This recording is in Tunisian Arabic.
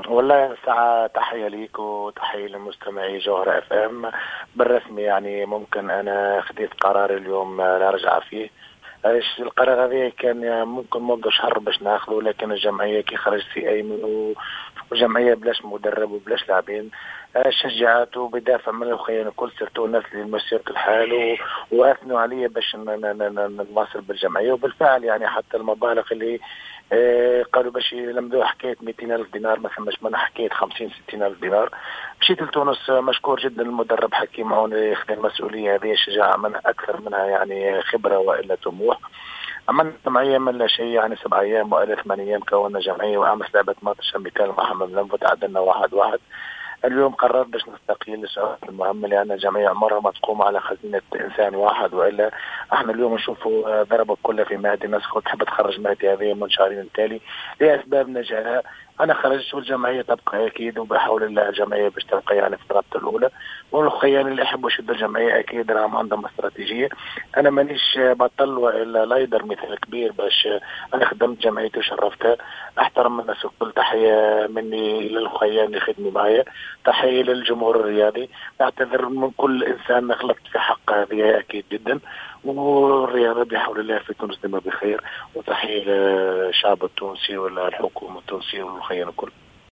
والله ساعة تحية ليك وتحية لمستمعي جوهرة اف ام. بالرسمي يعني ممكن انا خديت قرار اليوم لا رجعة فيه. القرار هذا كان ممكن منذ شهر باش ناخذه، لكن الجمعية كي خرج سي ايمن وجمعية بلاش مدرب وبلاش لاعبين شجعته بدافع من الخيان الكل، surtout الناس اللي مسيرة الحال واثنوا علي باش نواصل بالجمعية. وبالفعل يعني حتى المبالغ اللي قالوا باش يلمدوا حكاية 200 ألف دينار ما ثماش منها، حكاية 50 60 ألف دينار. مشيت لتونس، مشكور جدا المدرب حكيم عون خذ المسؤولية هذه، شجاعة منها أكثر منها يعني خبرة وإلا طموح. عملنا جمعية من لا شيء، يعني 7 أيام وإلا 8 أيام كونا جمعية، وأمس لعبت ماتش amical مع حمام لنف وتعادلنا 1-1. اليوم قررت باش نستقيل لسبب المهم، لأن الجمعية عمرها ما تقوم على خزينة إنسان واحد، وإلا احنا اليوم نشوفوا ضربوا كلها في مهدي، الناس تحب تخرج مهدي هذه من شهرين التالي لأسباب نجاها. أنا خرجت والجمعية تبقى أكيد، وبحول الله الجمعية باش تبقى يعني في الرابطة الأولى، والخيان اللي يحبوا يشدوا الجمعية أكيد راهم عندهم استراتيجية. أنا مانيش بطل وإلا لايدر مثال كبير باش أنا خدمت جمعيتي وشرفتها. أحترم الناس الكل، تحية مني للخيان اللي خدموا معايا، تحية للجمهور الرياضي، أعتذر من كل إنسان غلطت في حق هذه أكيد جدا. والرياضة بحول الله في تونس ديما بخير، وتحية للشعب التونسي والحكومة التونسية والخيان الكل.